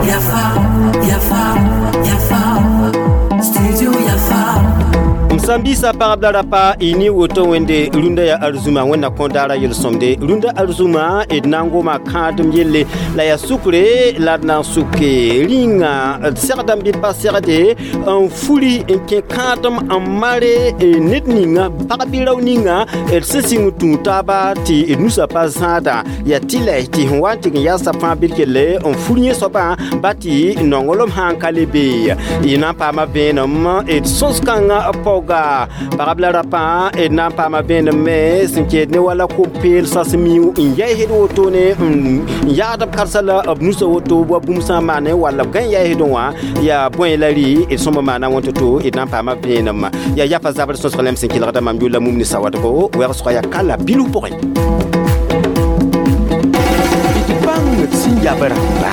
Yafa, Yafa, Yafa, Studio Yafa. M sãn biisã pagb la rapa y ne woto wẽnde rũndã yaa arzũma wẽnna kõ daara yel-sõmde rũndã arzũma d na n goma kãadem yelle la yaa sukre la d na n suke rĩnga d segdame bɩ pa segde n furi n kẽ kãadem n mare ned ninga pag bɩ rao ninga d sẽn sɩng tũu taaba tɩ d nusã pa zãada yaa tɩlɛ tɩ sẽn wa n tɩg n yaa sab fãa bɩ d kelle n fur yẽ soabã ba tɩ nonglem sã n ka le bee y na n paama vẽenem d sõs-kãngã paooga pagb la rapã d na n paama vẽenem me sẽn kɛɛd ne wala kom-peelsã sẽn mi n yaɩsd wotone n yaagd b karsa la b nusã woto wa bũmb sã n maane walla b gã n yaɩsdẽ wã yaa bõe la rɩ d sõma maana wẽn to-to d na n paama vẽenem yaa yafa zabr sõsg lem sẽn kelgda mam yʋlla mum ne sawadgo wɛgsga yaa kala bilf pʋgẽ d bãng d sẽn yab rãmba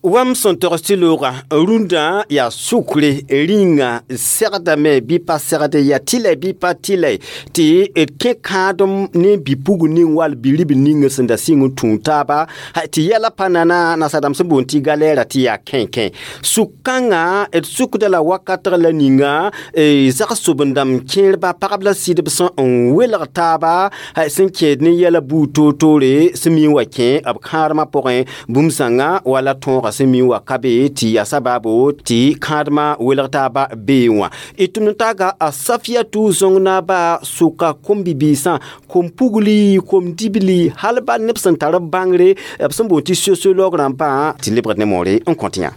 wam sẽn togs tɩ loogã rũndã yaa sukre rĩnga segdame bɩ pa segde yaa tɩlɛ bɩ pa tɩlɛ tɩ d kẽ kãadem ne bi-pugl ning wall bi-ribl ning sẽn da sɩng n tũu taaba tɩ yɛla pa nana nasadãmb sẽn boond tɩ galɛɛra tɩ yaa kẽnkẽ suk-kãngã d sukda la wakatg la ninga zag-sobendãmb kẽerba pagb la sɩdb sẽn n welg taaba sẽn kẽed ne yɛla buud toor-toore sẽn mi n wa kẽ b kãadmã pʋgẽ bũmb sãnga wala tõogã sẽn mi n wa ka be tɩ yaa sabaabo tɩ kãadmã welg taaba bee wã d tʋmd n taaga a Safiyatu zõng naaba sʋka kom-bibiisã kom-pugli kom-dibli hal ba neb sẽn tar b bãngre b sẽn boond tɩ sociologue rãmbã tɩ lebgd ne moore n kõt yã.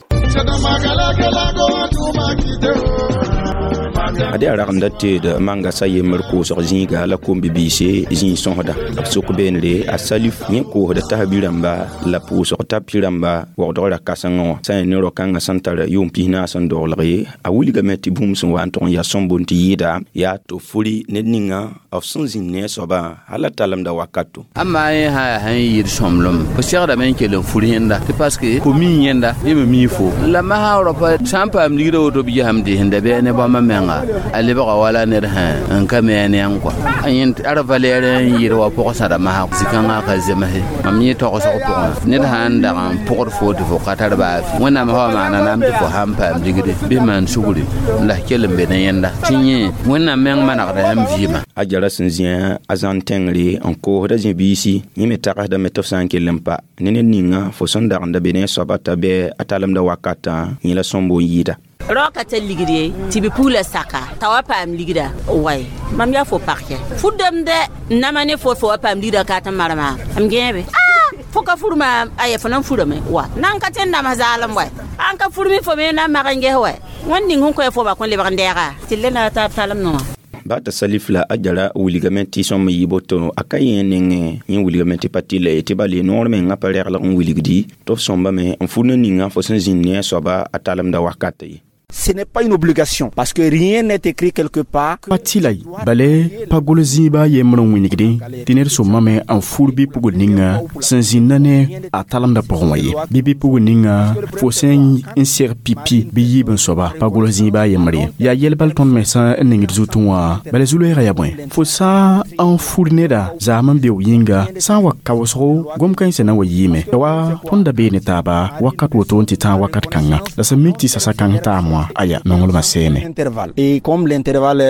Ade a ragenda teed manga sa yembr koosg zĩiga la kom-bibiise zĩig sõsda b sʋk beenre a Salif yẽ koosda tas bi-rãmba la pʋʋsg tapi rãmba waoodg ra-kãsengẽ wã sã n ne rao-kãngã sẽn tar yʋʋm 40 n doglg a wilgame tɩ bũmb sẽn wa n tʋg n yaa sõmbond tɩ yɩɩda yaa tɩ furi ned ninga f sẽn zĩnd ne a soabã hal a talemda wakato. Amma yẽ sã yaa sẽn yɩɩd sõmblem fo segdame n kell n fur yẽnda tɩ paske fo mii yẽnda yẽ me mii fo la masã raopa sã n paam ligdã woto b gesame tɩ sẽn da bɩ ne bãmba menga a lebga wala ned sã n ka mi a neang kɔa a yẽ ara valɛɛr n yɩɩd wa pʋgsãda masã zĩ-kãngã ka zemse mam yẽ togsg pʋgẽ ned sã n dag n pʋgd fo tɩ fo ka tar baa wẽnnaam sã wa maana naam tɩ fo sã n paam ligde bɩ maan sugri la f kell n be ne yẽnda tɩ yẽ wẽnnaam meng manegda yãmb vɩɩmã. A jara sẽn zĩ a zãn tẽngre n koosda zĩ-biisi yẽ me tagsdame tɩ f sã n kell n pa ne ned ninga fo sẽn dagenda be ne a soaba t'a bɩ a talemda wakatã yẽ la sõmbo n yɩɩda. Rao ka tar ligd ye tɩ bi-pugla saka t'a wa paam ligda way mam yaa fo pagkɛ fu-dãmb dɛ n nama ne fo fo wa paam ligda ka tɩ marema m gẽebe fo ka furma aya fo nan furame wa nan ka tẽn nams zaalem wɛ an ka furmi fo me na n mag n ges wɛ wẽnd ning sẽn kõ fo ba kõ lebg n dɛɛga tɩ le na taab talem nongã. Ba t'a Salif la a jara wilgame tɩ sõm yɩ boto a ka yẽ nengẽ yẽ wilgame tɩ pa tɩ la ye tɩ bale noor mengã pa regl n wilgdi tɩ f sõmbame n fur ne ninga fo sẽn zĩnd ne a soaba a talemda wakat ye. Ce n'est pas une obligation parce que rien n'est écrit quelque part. Pa tɩla bale pa gol zĩiba yembr n wĩnigdẽ tɩ ned sõmame n fur bɩ-pugl ninga sẽn zĩnda ne a talemda pʋgẽ wã ye bɩ bɩ-pugl ninga fo sẽn n seg pipi bɩ yiib n soaba pa gol zĩiba yembr ye yaa yɛl bal tõnd me sã n ningd zutẽ wã bala zu-loɛɛgã yaa bõe fo sã n fur neda zaam n beo yĩnga sã n wa kaoosgo gom-kãensã na n wa yiime wa tõnd da bee ne taaba wakat woto n tɩ tãag wakat kãnga la sẽn mik tɩ sasa kãng taam wã aya nonglmã seeme. Intervalle. Et comme l'intervalle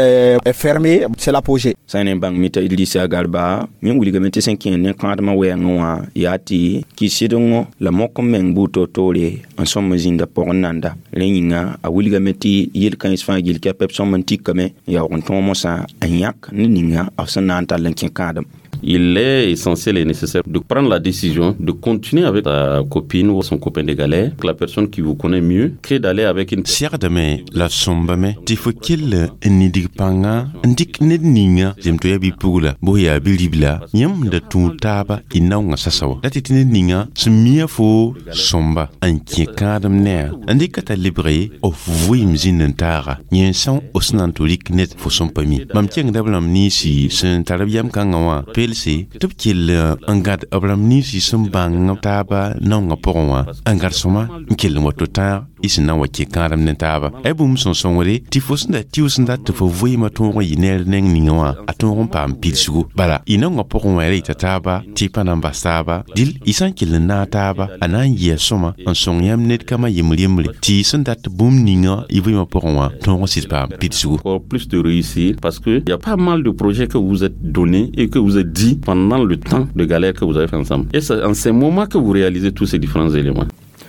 est fermé, c'est l'apogée. Sã n bãng mita Idrissa Garba yẽ wilgame tɩ sẽn kẽ ne kãadmã wɛɛngẽ wã yaa tɩ kɩ-sɩdengõ la mok n meng buud toor-toore n sõm n zĩnda pʋgẽ nanda rẽ yĩnga a wilgame tɩ yel-kãens fãa gill kɛpɛ b sõm n tikame n yaoog n tõog mosã n yãk ne ninga b sẽn na n tall n kẽ kãadem. Il est essentiel et nécessaire de prendre la décision de continuer avec ta copine ou son copain de galère, la personne qui vous connaît mieux, que d'aller avec une. Segdame la sõmbame tɩ fo kell n nidg pãnga n dɩk ned ninga zem tɩ yaa bi-pugla bos yaa bi-ribla yãmb da tũud taaba y naongã sasa wa la tɩ tɩ ned ninga sẽn mia fo sõmba n kẽ kãadem ne-a n dɩka t'a lebge f vɩɩm zĩnd n taaga yẽ sã f sẽn na n tɩ rɩk ned fo sẽn pa mi mam kẽngda b rãmb ninsi sẽn tar b yam kãngã wã pe. gelse tɩ b kell n gãd b rãmb nins y sẽn bãng taaba naongã pʋgẽ wã n gãd sõma n kell n wa to-tãag y sẽn na n wa kẽ kãadem ne taaba a bũmb sẽn sõngre tɩ fo sẽn da tɩʋ sẽn dat tɩ fo vɩɩmã tõog n yɩ neer neng ninga wã a tõog n paam pidsgu bala y naongã pʋgẽ wã ra yita taaba tɩ y pa na n bas taaba dɩl y sã n kell n naag taaba a na n yɩa sõma n sõng yãmb ned kama yembr yembre tɩ y sẽn dat bũmb ninga y vɩɩmã pʋgẽ wã tõog n sɩd paam pidsgu. Encore plus de réussir parce que il y a pas mal de projets que vous êtes donnés et que vous êtes dit pendant le temps de galère que vous avez fait ensemble. Et c'est en ces moments que vous réalisez tous ces différents éléments.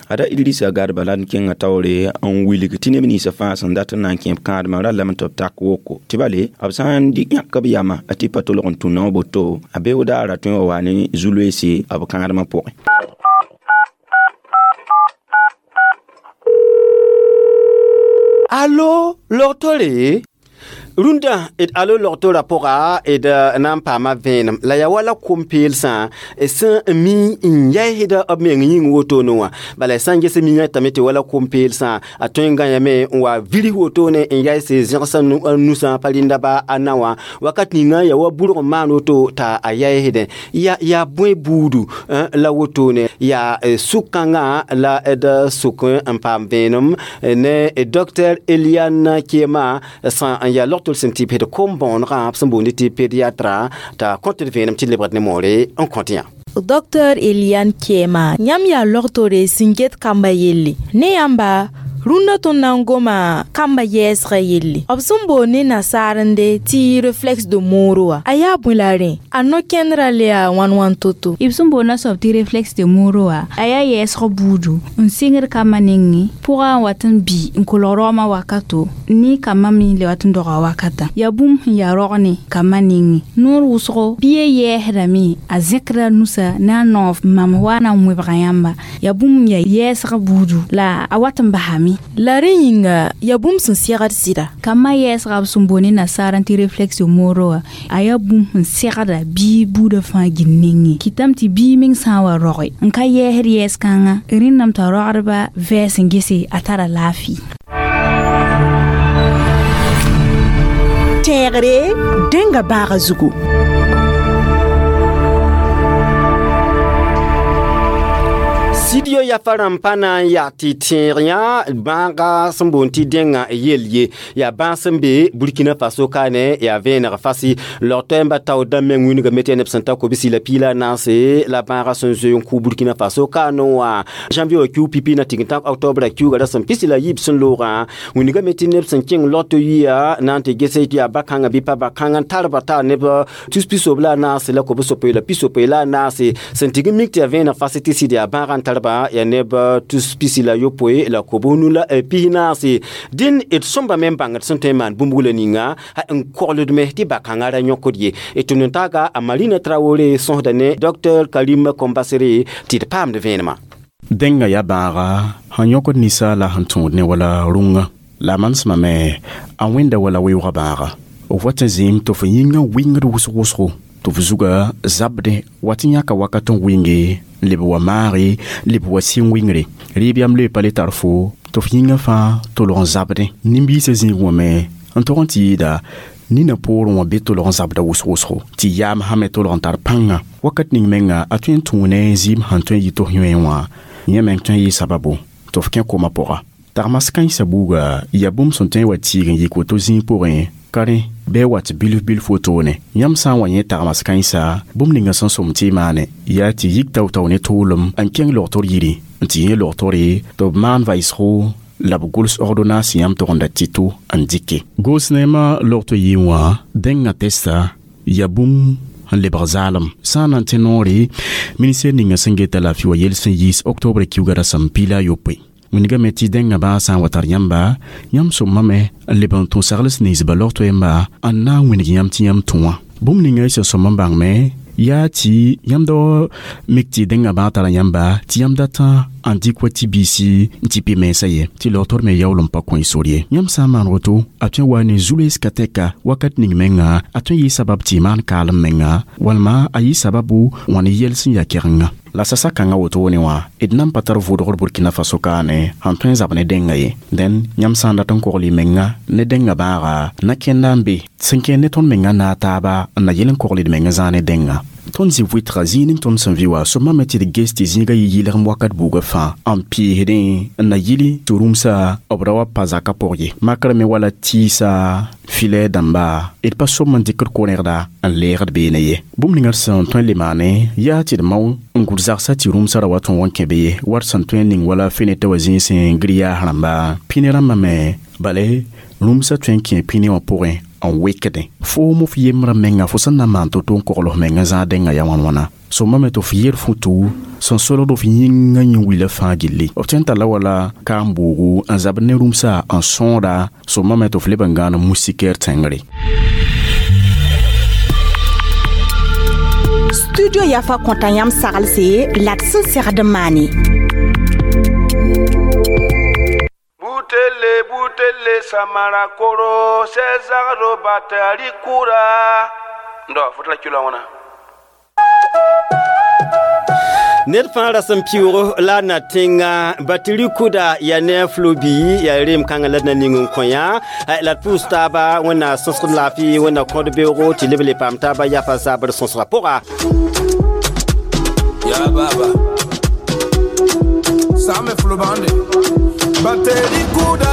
Ada Idrissa Garba la n kẽngã taoore n wilg tɩ neb ninsã fãa sẽn dat n na n kẽ b kãadmã ra lame tɩ b tak woko tɩ bale b sã n yãk b yama tɩ pa tolg n tũ nao boto a beoog daara tõe wa wa ne zu-loeese b kãadmã pʋgẽ. Allo, logtore? Rũndã d alo logtorã pʋga d na n paama vẽenem la yaa wala kom-peelsã sẽn mi n yɛɛsda b meng yĩng wotone wã bala sã n ges miyã tame tɩ wala kom-peelsã a tõe n gãyame n wa virs wotone n yaɩse zẽgsã nusã pa rɩnda ba a na wã wakat ninga yaa wa burg n maan woto t'a a yaɛɛsdẽ yaa bõe buudu la wotone yaa sʋk-kãngã la d sʋk n paam vẽenem ne docteur Eliane Kiema sã n yaa logtol sẽn tɩ pd kom-bõonegã b sẽn boond tɩ pédiatra t'a kõt d vẽenem tɩ lebgd ne moore n kõt yã. Dr Eliane Kiema yãmb yaa logtore sẽn get kamba yelle ne yãmba rũndã tõnd na n goma kamba yɛɛsgã yelle b sẽn boond ne nasaarende tɩ réflexe de Moro wã a yaa bõe la rẽ a no-kẽndrã le yaa wãn wãn to-to. B sẽn boond soab tɩ réflexe de Moro wã a yaa yɛɛsg buudu n sɩngd kambã nengẽ pʋgã n wat n bɩ n kolg raoomã wakato ne kambã me le wat n doga wakatã yaa bũmb sẽn yaa rog ne kambã nengẽ noor wʋsgo bɩ yɛɛsdame a zẽkda nusa ne a noog mam wa na n wẽbga yãmba yaa bũmb n yaa yɛɛsg buudu la a wat n basame. La rẽ yĩnga yaa bũmb sẽn segd sɩda. Kambã yɛɛsga b sẽn boond ne nasaar tɩ réflexe Moro wã a yaa bũmb sẽn segda bɩ buudã fãa gil nengẽ kɩtame tɩ bia meng sã n wa roge n ka yɛɛsd yɛɛs-kãngã rẽndame t'a rogdba vɛɛs n gese a tara laafɩ. Tẽegre dẽnga baaga zugu. Studio yafa rãmb pa na n yaa tɩ tẽeg yã bãaga sẽn boond tɩ dẽngã yel ye yaa bãag sẽn be Burkina Faso kaane yaa vẽeneg fasi log-toɛɛmbã tao dãmb meng wĩnigame tɩ yaa neb sẽn ta kobsi la piila naase la bãagã sẽn zoe n kʋ Burkina Faso kaane wã janvier wã kiu pipi na tign tãk octobre kiuga ra sẽn pisi la yiib sẽn loogã wĩnigame tɩ neb sẽn kẽng log-to yia na n tɩ gese tɩ yaa ba-kãngã bɩ pa ba-kãngã n tar ba taa neb tus pisob la a naase la kob-sopoe la pisopoe la a naase sẽn tig n mik tɩ yaa vẽeneg fasi tɩ sɩd yaa bãagã n tar ba ya neb tus pisi la yopoe la kob nu la pis naase dĩn d sõmba me n bãngd sẽn tõe n maan bũmb wula ninga n kogld me tɩ ba-kãngã ra yõkd ye tɩ nintaaga a Marina Traoré sõsda ne docteur Karim Kombasere tɩ d paamd vẽenemã. Dẽngã yaa bãaga sẽn yõkd ninsaala sẽn tõod ne wala rũngã la a manesmã me a wẽnda wala weoogã bãaga f wat n zĩim tɩ f yĩngã wɩngd wʋsg wʋsgo tɩ f zuga zabdẽ wat n yãka wakat n wɩnge leb wa maage leb wa sɩng wɩngre rɩɩb yam le pa le tar fo tɩ f yĩngã fãa tolg n zabdẽ nin-biisã zĩig wã me n tog n tɩ yɩɩda nina poorẽ wã be tolg n zabda wʋsg wʋsgo tɩ yaam sã me tolg n tar pãnga wakat ning menga a tõe n tũu ne zɩɩm sẽn tõe n yɩ tɩ f yõe wã yẽ meng tõe n yɩ sababu tɩ f kẽ koma pʋga tagmas kãensã buuga yaa bũmb sẽn tõe n wa tiig n yik woto zĩig pʋgẽ ka rẽ bɩ wat bilf bilf wotone yãmb sã n wa yẽ tagmas kãensa bũmb ninga sẽn sõm tɩ y maane yaa tɩ yik tao-tao ne tʋʋlem n kẽng logtr yiri n tɩ yẽ logtore tɩ b maan vaɩsgo la b gʋls ordonnance yãmb togenda tɩ-to n dɩke goos neemã logto yɩ wã dẽngã testa yaa bũmb n lebg zaalem sã n na n tẽ noore ministɛr ninga sẽn geta laafɩ wa yel sẽn yiis octobre kiuga rasem piila a yopoe wĩnigame tɩ dẽngã bãag sã n wa tar yãmba yãmb sõmame n leb n tũ sagls ninsba log-toɛɛmba n na n wĩnig yãmb tɩ yãmb tũ wã bũmb ninga y sẽn sõm n bãngme yaa tɩ yãmb da mik tɩ dẽngã bãag tara yãmba tɩ yãmb datã n dɩk wa tɩ biisi n tɩ pɩ mensã ye tɩ logtr me yaool n pa kõ y sor ye yãmb sã n maan woto a tõe n wa ne zu-loees ka tɛka wakat ning menga a tõe n yɩ sabab tɩ y maan kaalem menga walma a yɩ sababu wã ne yɛl sẽn yaa kɛgenga la sasa kãngã wotone wã d nan pa tar vʋʋdgr Burkina Faso kaane sẽn tõe n zab ne dẽngã ye dẽn yãmb sã n dat n kogl y menga ne dẽngã bãaga na kẽnda n be sẽn kẽer ne tõnd menga naag taaba n na yel n kogl d menga zãag ne dẽngã Tõnd zĩ vɩtga zĩig ning tõnd sẽn vɩ wa sõma me tɩ d ges tɩ zĩigã yɩ yɩlgem wakat buugã fãa n pɩɩsdẽ n na yɩli tɩ rũmsa b ra wa pa zakã pʋg ye. Makrã me wala tɩɩsa filɛ dãmba d pa som n dɩkd ko-rẽgda n leegd beene ye. Bũmb ninga d sẽn tõe n le maane yaa tɩ d mao n gʋd zagsã tɩ rũmsã ra wa tõe n wa n kẽ be ye war sẽn tõe n ning wala fenetã wã zĩig sẽn grillage rãmba pĩne rãmbã me bale rũmsã tõe n kẽ pĩne wã pʋgẽ n wekdẽ. Foom f yembrã menga fo sẽn na n maan to-to n kogl f mengã zãag dẽngã yaa wãn-wãna. Sõma me tɩ f yer futu sẽn solgd f yĩngã yẽ wila fãa gilli. B tõe n talla wala kaam-boogu n zabd ne rũmsa n sõoda sõma me tɩ f leb n gãan moustiquaire tẽngre. Studio Yafa kõta yãmb saglse la d sẽn segd n maane. Butele butele samara koro sezagdo batari kura ndo fotla kilo wona. Ned fãa ra sẽn piʋʋg la a na tẽnga bateri kʋda yaa ne a flobi yaa reem kãngã la d na ning n kõ yã la d pʋʋs taaba wẽnna sõsgd laafɩ wẽnna kõd beoogo tɩ leb le paam taaba yafa zabr sõsgã pʋga. Ya baba Same flobande Bateri kuda.